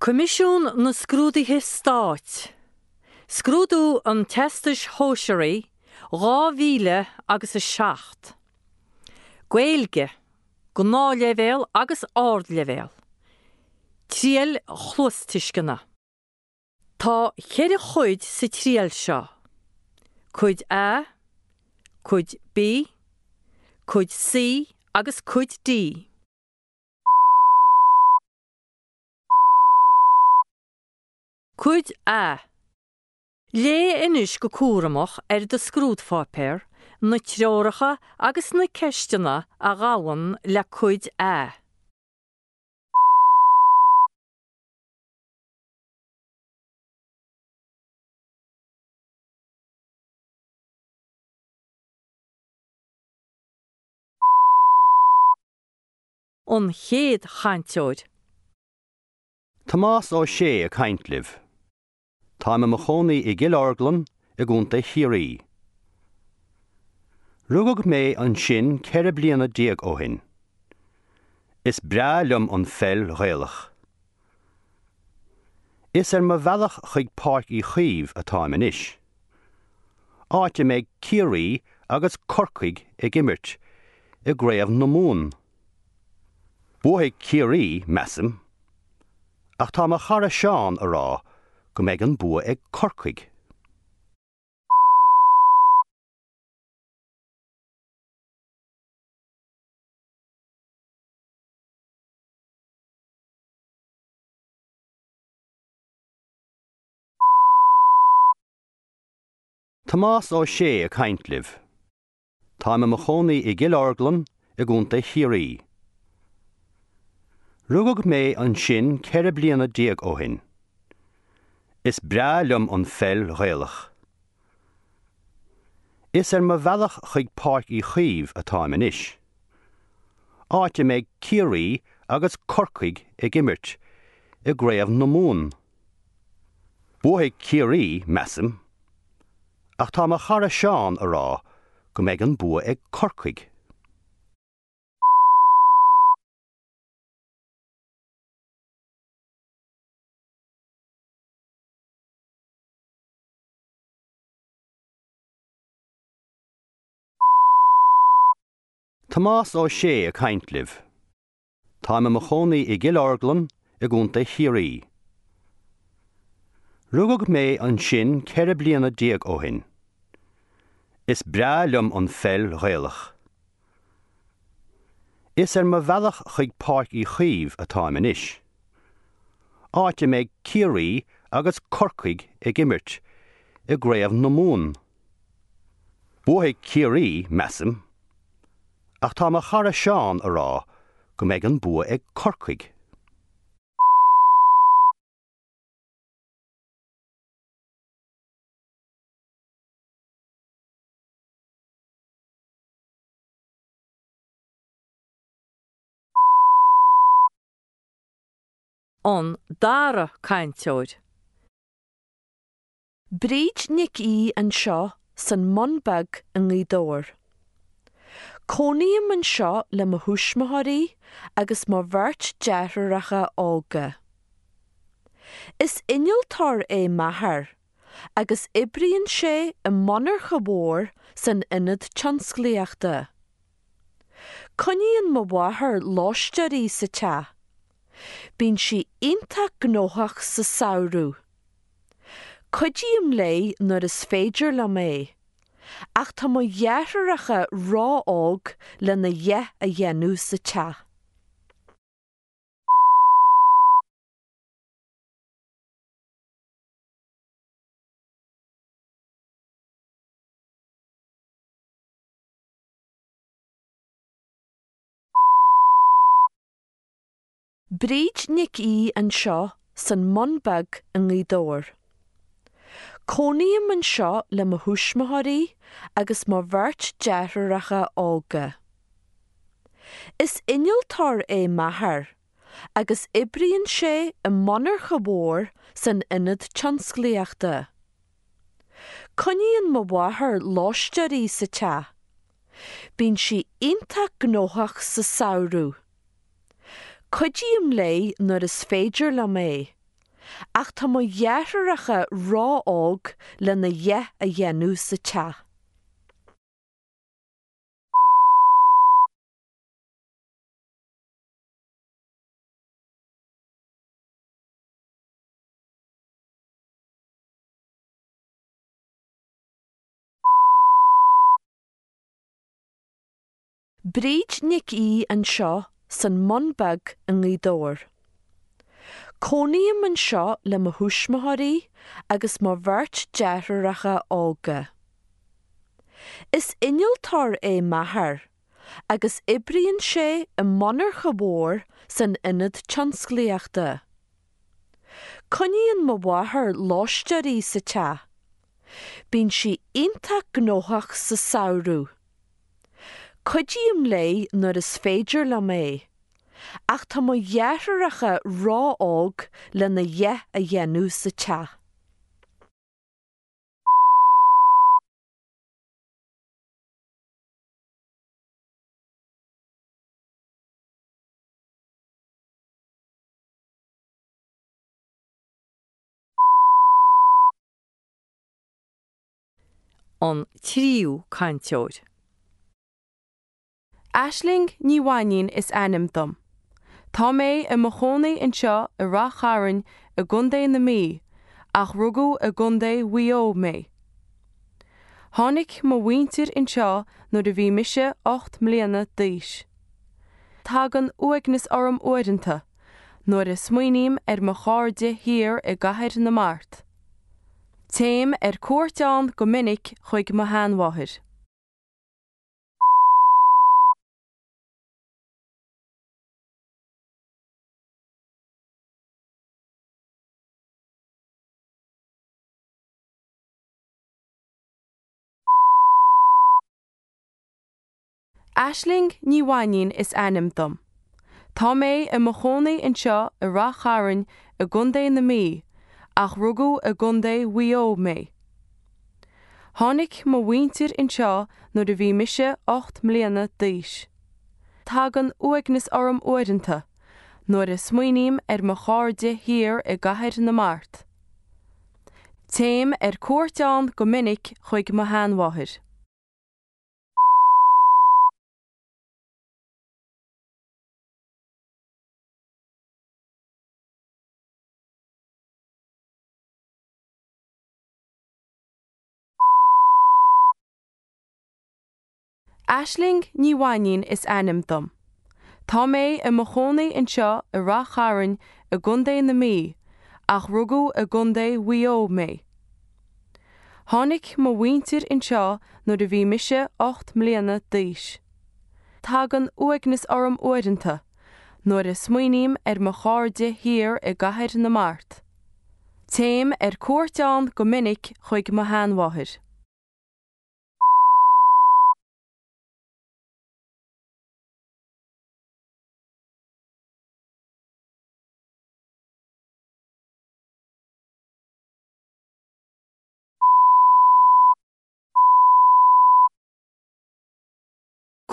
Coimisiún na Scrúduithe Stáit, Scrúdú an Teastais Shóisearaigh 2000 agus 7. Gaeilge, Gnáthleibhéal agus Ardleibhéal. Triail chluastuisceana. Tá cheithre chuid sa triail seo, Cuid A, Cuid B, Cuid C agus Cuid D. Cuid A. Léigh anois go cúramach ar do scrúdpháipéar na treoracha agus na ceisteanna a ghabhann le Cuid A. An chéad chainteoir. Tomás Ó Sé ag caint libh. Táim i mo chónaí i gCill Orglan i gContae Chiarraí. Rugadh mé ansin 14 bliana ó shin. Is breá liom an pheil Ghaelach. Is ar mo bhealach chuig Páirc Uí Chaoimh atáim anois. Áit a mbeidh Ciarraí agus Corcaigh ag imirt i gCraobh na Mumhan. Buafaidh Ciarraí, measaim. Ach tá mo chara Seán a rá go mbeidh an bua ag Corcaigh. Tomás Ó Sé ag caint libh. Táim i mo chónaí i gCill Orglan i gContae Chiarraí. Rugadh mé ansin 14 bliana ó shin. Is breá liom an pheil Ghaelach. Is ar mo bhealach chuig Páirc Uí Chaoimh atáim anois. Áit a mbeidh Ciarraí agus Corcaigh ag imirt i gCraobh na Mumhan. Buafaidh Ciarraí, measaim. Ach tá mo chara Seán a rá go mbeidh an bua ag Corcaigh. Tomás Ó Sé ag caint libh. Táim i mo chónaí i gCill Orglan i gContae Chiarraí. Rugadh mé ansin 14 bliana ó shin. Is breá liom an pheil Ghaelach. Is ar mo bhealach chuig Páirc Uí Chaoimh atáim anois. Áit a mbeidh Ciarraí agus Corcaigh ag imirt i gCraobh na Mumhan. Buafaidh Ciarraí, measaim. Ach tá mo chara Seán a rá go mbeidh an bua ag Corcaigh. An dara cainteoir. Bríd Nic Aoidh anseo san mBun Beag i nGaoth Dobhair. Cónaím anseo le mo thuismitheoirí agus mo bheirt deartháireacha óga. Is innealtóir é m'athair agus oibríonn sé i monarcha mhór san ionad tionsclaíochta. Coinníonn mo mháthair lóisteoirí sa teach. Bíonn sí iontach gnóthach sa samhradh. Cuidím léi nuair is féidir liom é, ach tá mo dheartháireacha ró-óg lena dhath a dhéanamh sa teach. Bríd Nic Aoidh anseo san mBun Beag i nGaoth Dobhair. Cónaím anseo le mo thuismitheoirí agus mo bheirt deartháireacha óga. Is innealtóir é m'athair agus oibríonn sé i monarcha mhór san ionad tionsclaíochta. Coinníonn mo mháthair lóisteoirí sa teach. Bíonn sí iontach gnóthach sa samhradh. Cuidím léi nuair is féidir liom é, Ach tá mo dheartháireacha ró-óg lena dhath a dhéanamh sa teach. Bríd Nic Aoidh anseo san mBun Beag i nGaoth Dobhair. Cónaím anseo le mo thuismitheoirí agus mo bheirt deartháireacha óga. Is innealtóir é m'athair agus oibríonn sé i monarcha mhór san ionad tionsclaíochta. Coinníonn mo mháthair lóisteoirí sa teach. Bíonn sí iontach gnóthach sa samhradh. Cuidím léi nuair is féidir liom é, ach tá mo dheartháireacha ró-óg lena dhath a dhéanamh sa teach. An tríú cainteoir. Aisling Ní Mhainín is ainm dom. Tá mé i mo chónaí anseo i Rath Chairn i gContae na Mí ach rugadh i gContae Mhaigh Eo mé. Tháinig mo mhuintir anseo nuair a bhí mise 8 mbliana d'aois. Tagann uaigneas orm uaireanta nuair a smaoiním ar mo chairde thiar i gCathair na Mart. Téim ar cuairt ann go minic chuig mo sheanmháthair. Aisling Ní Mhainín is ainm dom. Tá mé i mo chónaí anseo i Rath Chairn i gContae na Mí ach rugadh i gContae Mhaigh Eo mé. Tháinig mo mhuintir anseo nuair a bhí mise 8 mbliana d'aois. Tagann uaigneas orm uaireanta nuair a smaoiním ar mo chairde thiar i gCathair na Mart. Téim ar cuairt ann go minic chuig mo sheanmháthair. Aisling Ní Mhainín is ainm dom. Tá mé i mo chónaí anseo i Rath Chairn i gContae na Mí ach rugadh i gContae Mhaigh Eo mé. Tháinig mo mhuintir anseo nuair a bhí mise 8 mbliana d'aois. Tagann uaigneas orm uaireanta nuair a smaoiním ar mo chairde thiar i gCathair na Mart. Téim ar cuairt ann go minic chuig mo sheanmháthair.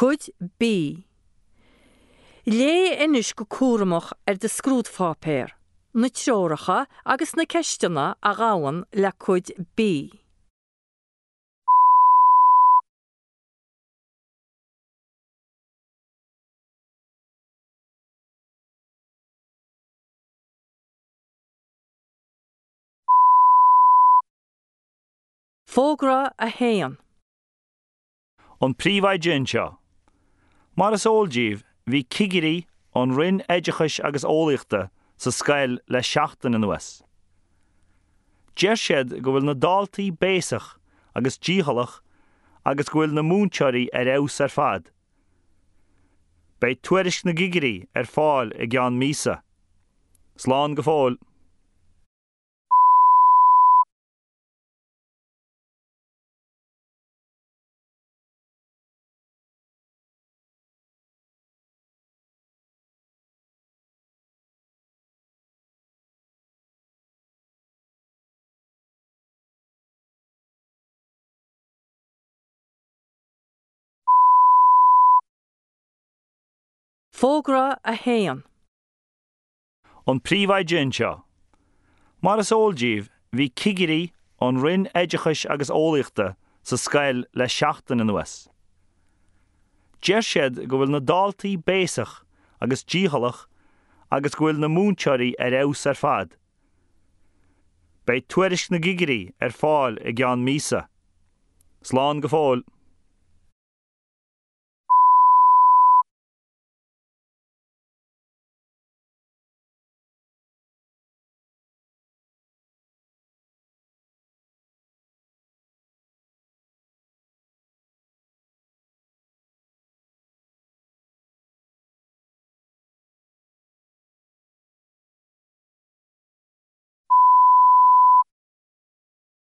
Cuid B. Léigh anois go cúramach ar do scrúdpháipéar, na treoracha agus na ceisteanna a ghabhann le Cuid B. Fógra 1. An Príomhoide anseo. Mar is eol díbh, bhí cigirí ón Roinn Oideachais agus Eolaíochta sa scoil le seachtain anuas. Deir siad go bhfuil na daltaí béasach agus dícheallach agus go bhfuil na múinteoirí ar fheabhas ar fad. Beidh tuairisc na gcigirí ar fáil i gceann míosa. Slán go fóill. Fógra 1. An Príomhoide anseo. Mar is eol díbh, bhí cigirí ón Roinn Oideachais agus Eolaíochta sa scoil le seachtain anuas. Deir siad go bhfuil na daltaí béasach agus dícheallach agus go bhfuil na múinteoirí ar fheabhas ar fad. Beidh tuairisc na gcigirí ar fáil i gceann míosa. Slán go fóill.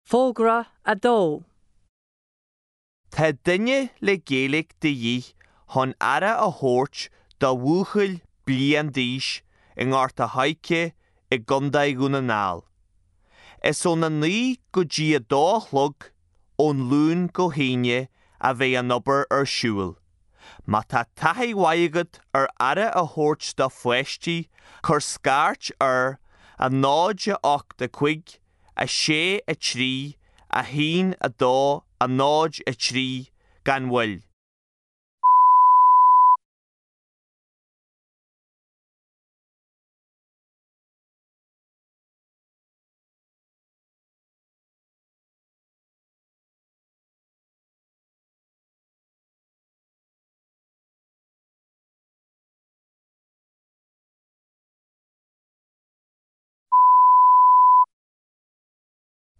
Fógra 2. Tá duine le Gaeilge de dhíth chun aire a thabhairt do bhuachaill bliain d'aois i nGort a' Choirce i gContae Dhún na nGall. Is óna 9 go dtí a 2 a chlog ón Luan go hAoine a bheidh an obair ar siúl. Má tá taithí mhaith agat ar aire a thabhairt do pháistí cuir scairt ar 0 8 5 6 3 1 2 0 3 gan mhoill.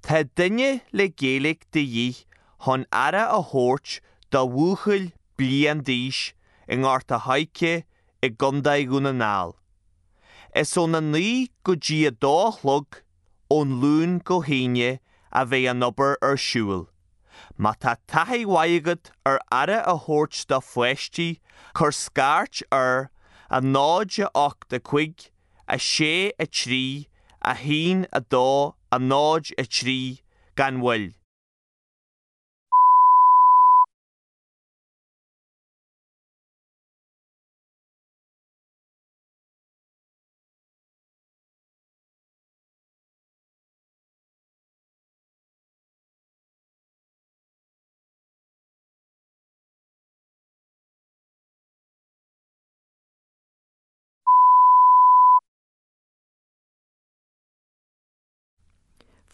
Tá duine le Gaeilge de dhíth chun aire a thabhairt do bhuachaill bliain d'aois i nGort a' Choirce i gContae Dhún na nGall. Is óna 9 go dtí a 2 a chlog ón Luan go hAoine a bheidh an obair ar siúl. Má tá taithí mhaith agat ar aire a thabhairt do pháistí cuir scairt ar 0 8 5 6 3 1 2 0 3 gan mhoill.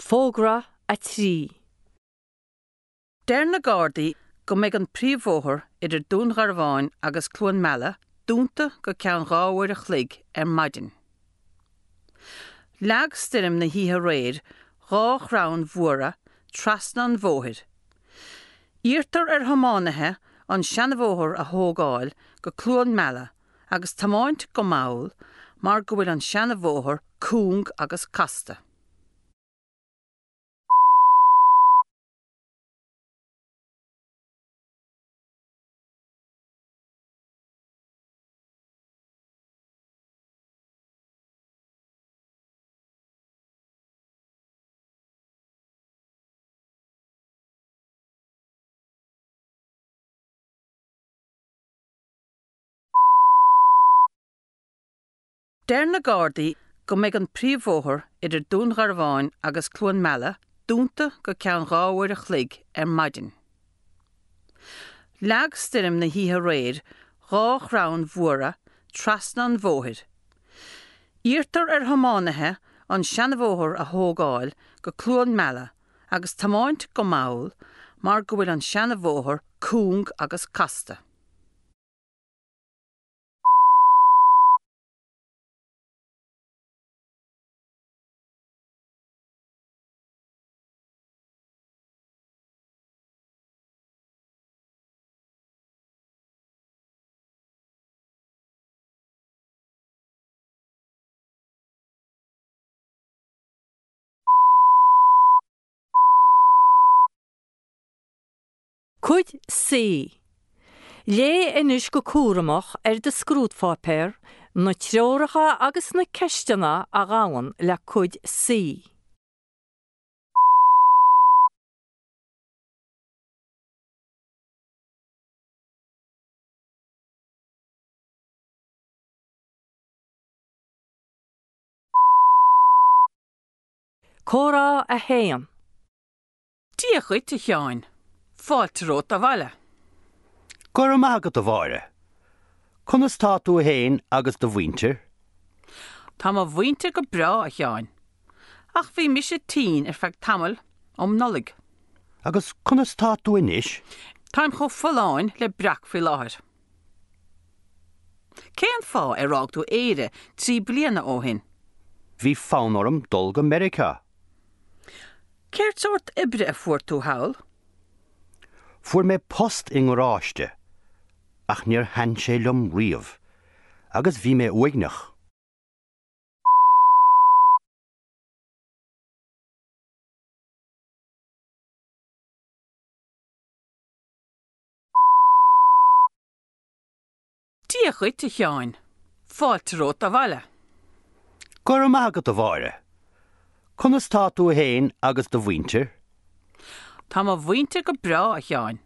Fógra 3. Deir na Gardaí go mbeidh an príomhbhóthar idir Dún Garbhán agus Cluain Meala dúnta go ceann 2 uair a chloig ar maidin. Leag stoirm na hoíche aréir 2 chrann mhóra trasna an bhóthair. Iarrtar ar thiománaithe an seanabhóthar a thógáil go Cluain Meala agus tiomáint go mall mar go bhfuil an seanabhóthar cúng agus casta. Deir na Gardaí go mbeidh an príomhbhóthar idir Dún Garbhán agus Cluain Meala dúnta go ceann 2 uair a chloig ar maidin. Leag stoirm na hoíche aréir 2 chrann mhóra trasna an bhóthair. Iarrtar ar thiománaithe an seanabhóthar a thógáil go Cluain Meala agus tiomáint go mall mar go bhfuil an seanabhóthar cúng agus casta. Cuid C. Léigh anois go cúramach ar do scrúdpháipéar na treoracha agus na ceisteanna a ghabhann le Cuid C. Comhrá 1. Dia dhuit, a Sheáin. Fáilte romhat abhaile. Go raibh maith agat, a Mháire. Conas tá tú fhéin agus do mhuintir? Tá mo mhuintir go breá, a Sheáin. Ach bhí mise tinn ar feadh tamaill um Nollaig. Agus conas tá tú anois? Táim chomh folláin le breac faoi láthair. Cén fáth ar fhág tú Éire 3 bliana ó shin? Bhí fonn orm dul go Meiriceá. Céard sórt oibre a fuair tú thall? Fuair mé post i ngaráiste, ach níor thaitin sé liom riamh, agus bhí mé uaigneach. Dia dhuit, a Sheáin. Fáilte romhat abhaile. Go raibh maith agat, a Mháire. Conas tá tú fhéin agus do mhuintir? Tá mo mhuintir go breá, a Sheáin.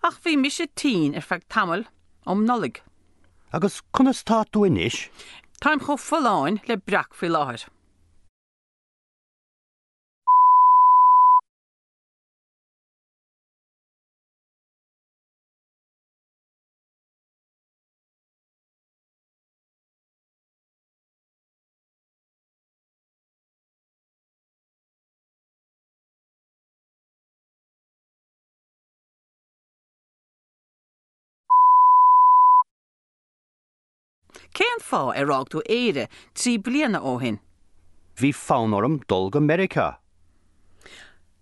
Ach bhí mise tinn ar feadh tamaill um Nollaig. Agus conas tá tú anois? Táim chomh folláin le breac faoi láthair. Cén fáth ar fhág tú Éire 3 bliana ó shin? Bhí fonn orm dul go Meiriceá.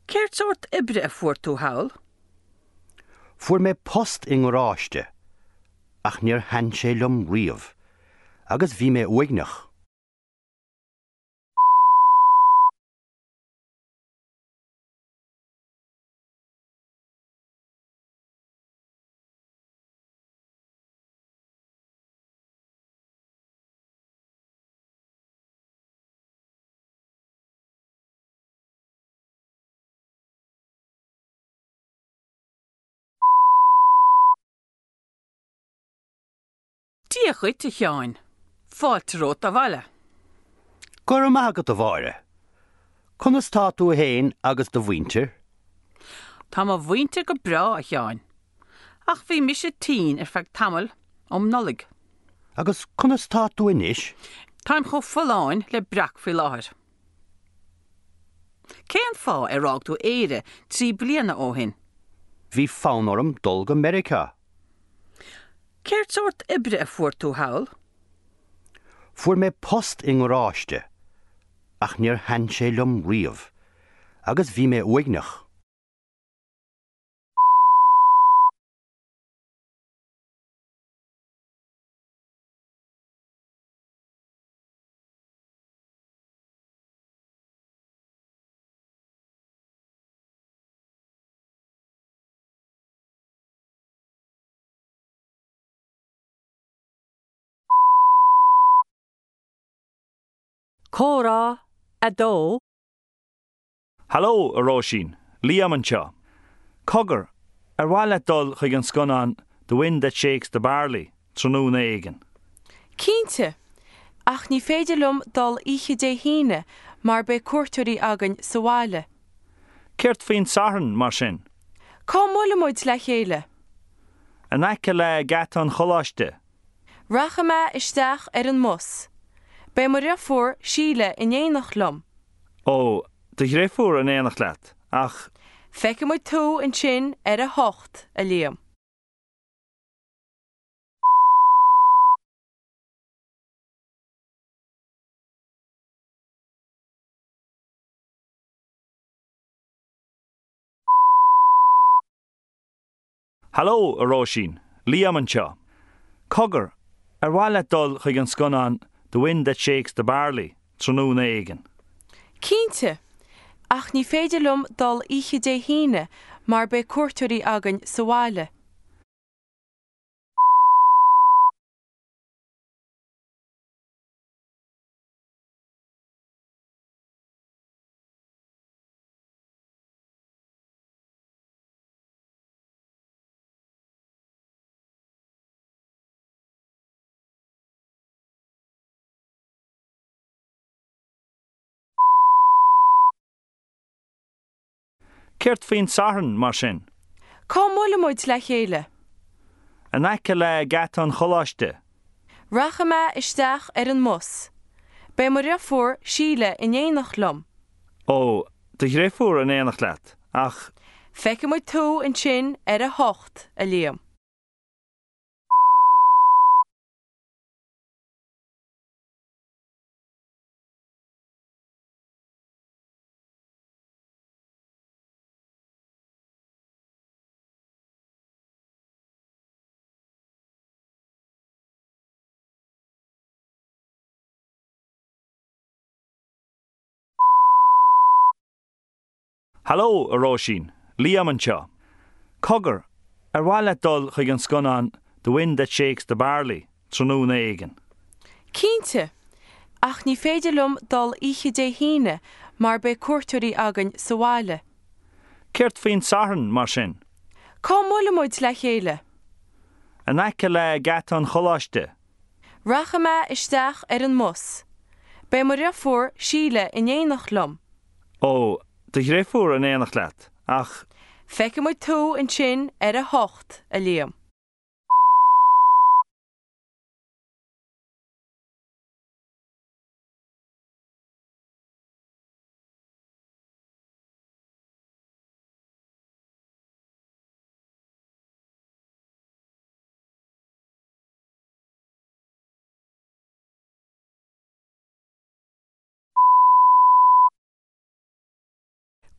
Céard sórt oibre a fuair tú thall? Fuair mé post i ngaráiste, ach níor thaitin sé liom riamh, agus bhí mé uaigneach. Dia dhuit, a Sheáin. Fáilte romhat abhaile. Go raibh maith agat, a Mháire. Conas tá tú fhéin agus do mhuintir? Tá mo mhuintir go breá, a Sheáin. Ach bhí mise tinn ar feadh tamaill um Nollaig. Agus conas tá tú anois? Táim chomh folláin le breac faoi láthair. Cén fáth ar fhág tú Éire 3 bliana ó shin? Bhí fonn orm dul go Meiriceá. Céard sórt oibre a fuair tú thall? Fuair mé post i ngaráiste, ach níor thaitin sé liom riamh, agus bhí mé uaigneach. Comhrá 2. Haló, a Róisín, Liam anseo. Cogar, ar mhaith leat dul chuig an scannán The Wind That Shakes the Barley tráthnóna éigin? Cinnte! Ach ní féidir liom dul oíche Dé hAoine mar beidh cuairteoirí againn sa bhaile. Céard faoin Satharn, mar sin? Cá mbuailfidh muid le chéile? In aice le geata an choláiste. Rachaidh mé isteach ar an mbus. Beidh mo dhriofúr, Síle, in éineacht liom. Ó, do dhriofúr in éineacht leat, ach. Feicfidh muid tú ansin ar a hocht, a Liam. Haló, a Róisín, Liam anseo. Cogar, ar mhaith leat dul chuig an scannán The Wind That Shakes the Barley tráthnóna éigin? Cinnte! Ach ní féidir liom dul oíche Dé hAoine mar beidh cuairteoirí againn sa bhaile. Céard faoin Satharn, mar sin? Cá mbuailfidh muid le chéile? In aice le geata an choláiste. Rachaidh mé isteach ar an mbus. Beidh mo dhriofúr, Síle, in éineacht liom. Ó, do dhriofúr in éineacht leat, ach. Feicfidh muid tú ansin ar a hocht, a Liam. Haló, a Róisín, Liam anseo. Cogar, ar mhaith leat dul chuig an scannán The Wind That Shakes the Barley tráthnóna éigin? Cinnte! Ach ní féidir liom dul oíche Dé hAoine mar beidh cuairteoirí againn sa bhaile. Céard faoin Satharn, mar sin? Cá mbuailfidh muid le chéile? In aice le geata an choláiste. Rachaidh mé isteach ar an mbus. Beidh mo dhriofúr, Síle, in éineacht liom. Ó, do dhriofúr in éineacht leat, ach. Feicfidh muid tú ansin ar a hocht, a Liam.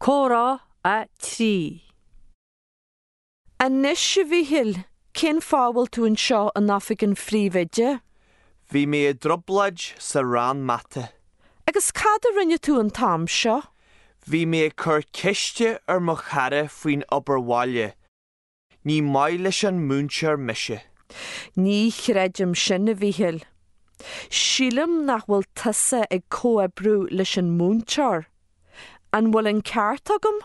Comhrá 3. Anois, a Mhíchíl, cén fáth a bhfuil tú anseo in oifig an phríomhoide? Bhí mé i dtrioblóid sa rang mata. Agus cad a rinne tú an t-am seo? Bhí mé ag cur ceiste ar mo chara faoin obair bhaile. Ní maith leis an múinteoir mise. Ní chreidim sin, a Mhíchíl. Sílim nach bhfuil tusa ag comhoibriú leis an múinteoir. An bhfuil an ceart agam?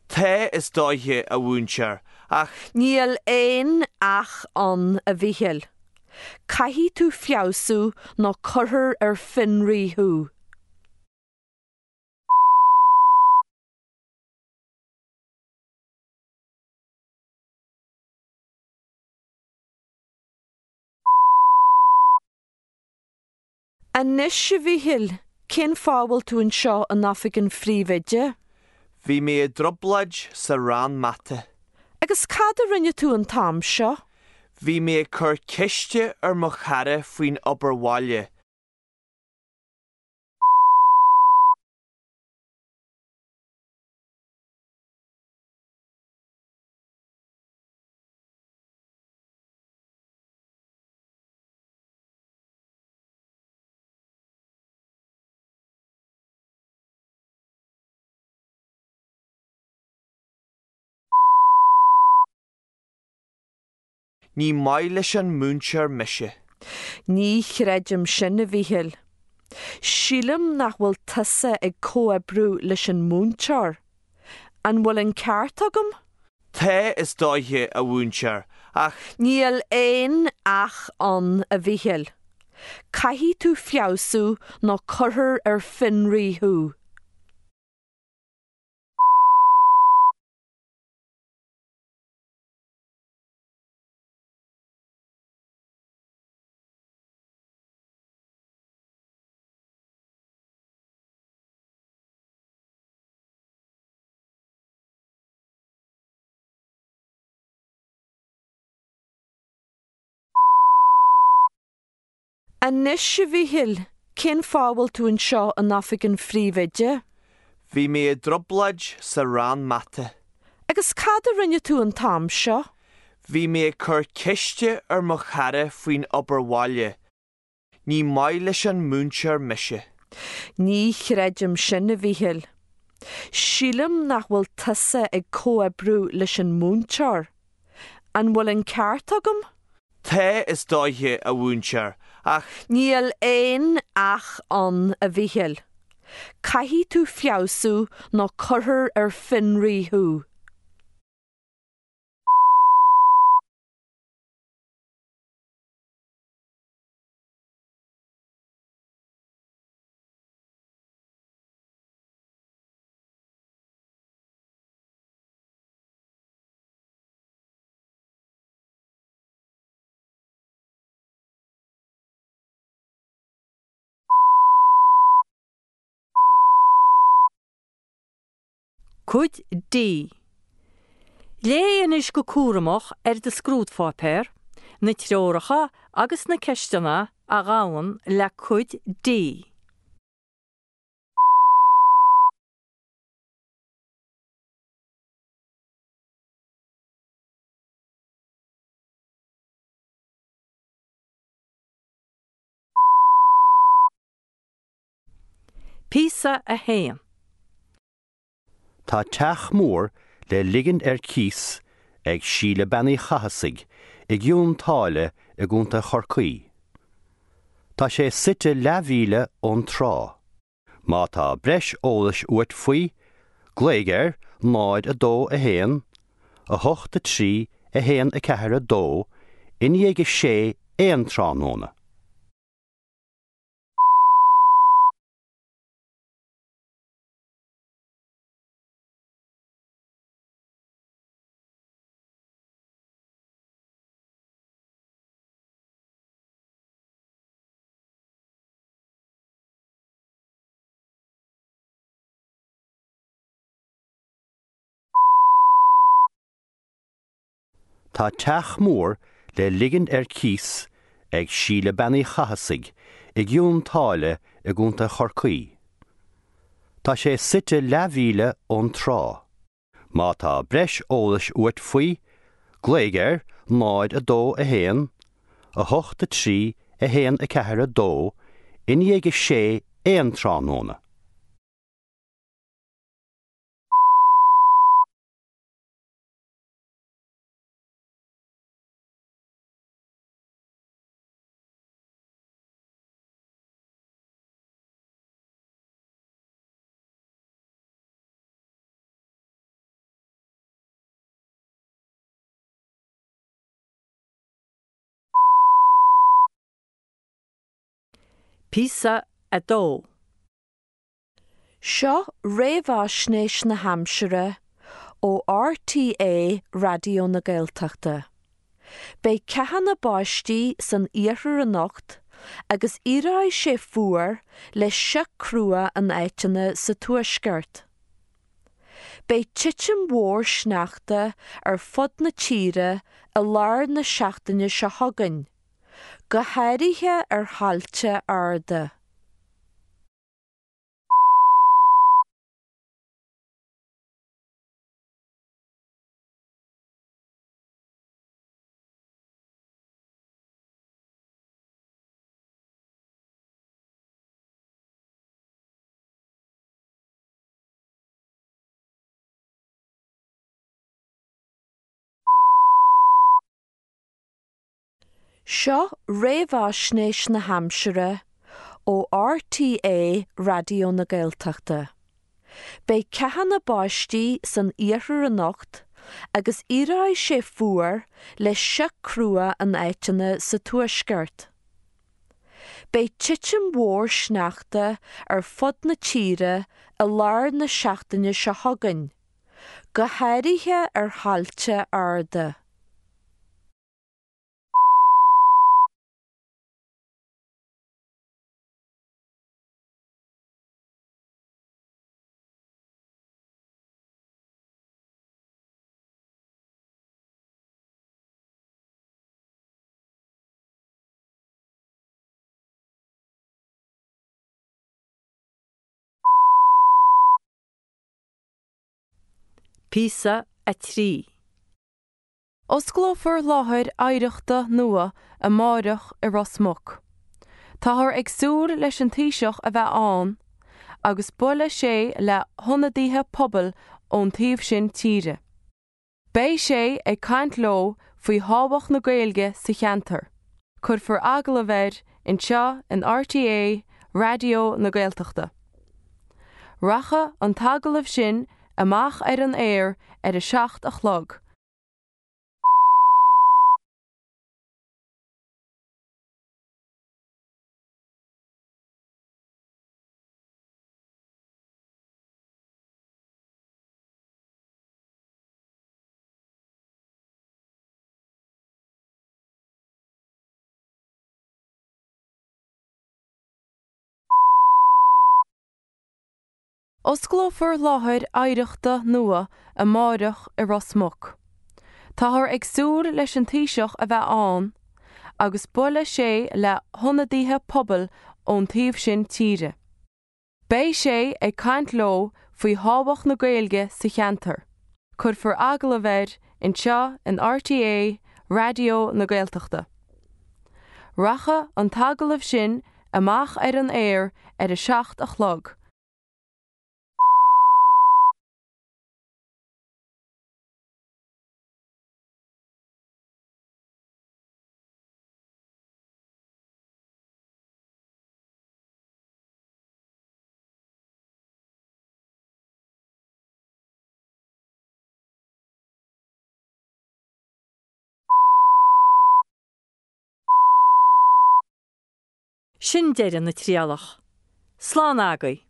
Tá, is dóiche, a mhúinteoir, ach. Níl aon ach ann, a Mhíchíl. Caithfidh tú feabhsú nó cuirfear ar fionraí thú. Anois, a Mhíchíl, cén fáth a bhfuil tú anseo in oifig an phríomhoide? Bhí mé i dtrioblóid sa rang mata. Agus cad a rinne tú an t-am seo? Bhí mé ag cur ceiste ar mo chara faoin obair bhaile. Ní maith leis an múinteoir mise. Ní chreidim sin, a Mhíchíl. Sílim nach bhfuil tusa ag comhoibriú leis an múinteoir. An bhfuil an ceart agam? Tá, is dóiche, a mhúinteoir, ach. Níl aon ach ann, a Mhíchíl. Caithfidh tú feabhsú nó cuirfear ar fionraí thú. Anois, a Mhíchíl, cén fáth a bhfuil tú anseo in oifig an phríomhoide? Bhí mé i dtrioblóid sa rang mata. Agus cad a rinne tú an t-am seo? Bhí mé ag cur ceiste ar mo chara faoin obair bhaile. Ní maith leis an múinteoir mise. Ní chreidim sin, a Mhíchíl. Sílim nach bhfuil tusa ag comhoibriú leis an múinteoir. An bhfuil an ceart agam? Tá, is dóiche, a mhúinteoir, ach. Níl aon ach ann, a Mhíchíl. Caithfidh tú feabhsú nó cuirfear ar fionraí thú. Cuid D. Léigh anois go cúramach ar do scrúdpháipéar na treoracha agus na ceisteanna a ghabhann le Cuid D. Píosa 1. Tá teach mór le ligint ar cíos ag Síle Bean Uí Chathasaigh i gCionn tSáile i gContae Chorcaí. Tá sé suite leathmhíle ón trá. Má tá breis eolais uait faoi, glaoigh ar 0 2 1 8 3 1 4 2 i ndiaidh a sé aon tráthnóna. Tá teach mór le ligint ar cíos ag Síle Bean Uí Chathasaigh i gCionn tSáile i gContae Chorcaí. Tá sé suite leathmhíle ón trá. Má tá breis eolais uait faoi, glaoigh ar 0 2 1 8 3 1 4 2 i ndiaidh a sé aon tráthnóna. Píosa 2. Seo réamhaisnéis na haimsire ó RTÉ Raidió na Gaeltachta. Beidh ceathanna báistí san iarthar anocht agus éireoidh sé fuar le sioc crua in áiteanna sa tuaisceart. Beidh titim mhór sneachta ar fud na tíre i lár na seachtaine seo chugainn, go háirithe ar thailte arda. Seo réamhaisnéis na haimsire ó RTÉ Raidió na Gaeltachta. Beidh ceathanna báistí san iarthar anocht agus éireoidh sé fuar le sioc crua in áiteanna sa tuaisceart. Beidh titim mhór sneachta ar fud na tíre i lár na seachtaine seo chugainn, go háirithe ar thailte arda. Píosa 3. Osclófar láthair oidhreachta nua amáireach i Ros Muc. Táthar ag súil leis an Taoiseach a bheith ann agus buailfidh sé le hionadaithe pobail ón taobh sin tíre. Beidh sé ag caint leo faoi thábhacht na Gaeilge sa cheantar. Cuirfear agallamh air anseo in RTÉ Raidió na Gaeltachta. Rachaidh an t-agallamh sin amach ar an aer ar a 7 a chlog. Osclófar láthair oidhreachta nua amáireach i Ros Muc. Táthar ag súil leis an Taoiseach a bheith ann agus buailfidh sé le hionadaithe pobail ón taobh sin tíre. Beidh sé ag caint leo faoi thábhacht na Gaeilge sa cheantar. Cuirfear agallamh air anseo in RTÉ Raidió na Gaeltachta. Rachaidh an t-agallamh sin amach ar an aer ar a 7 a chlog. Sin deireadh na trialach. Slán agaibh.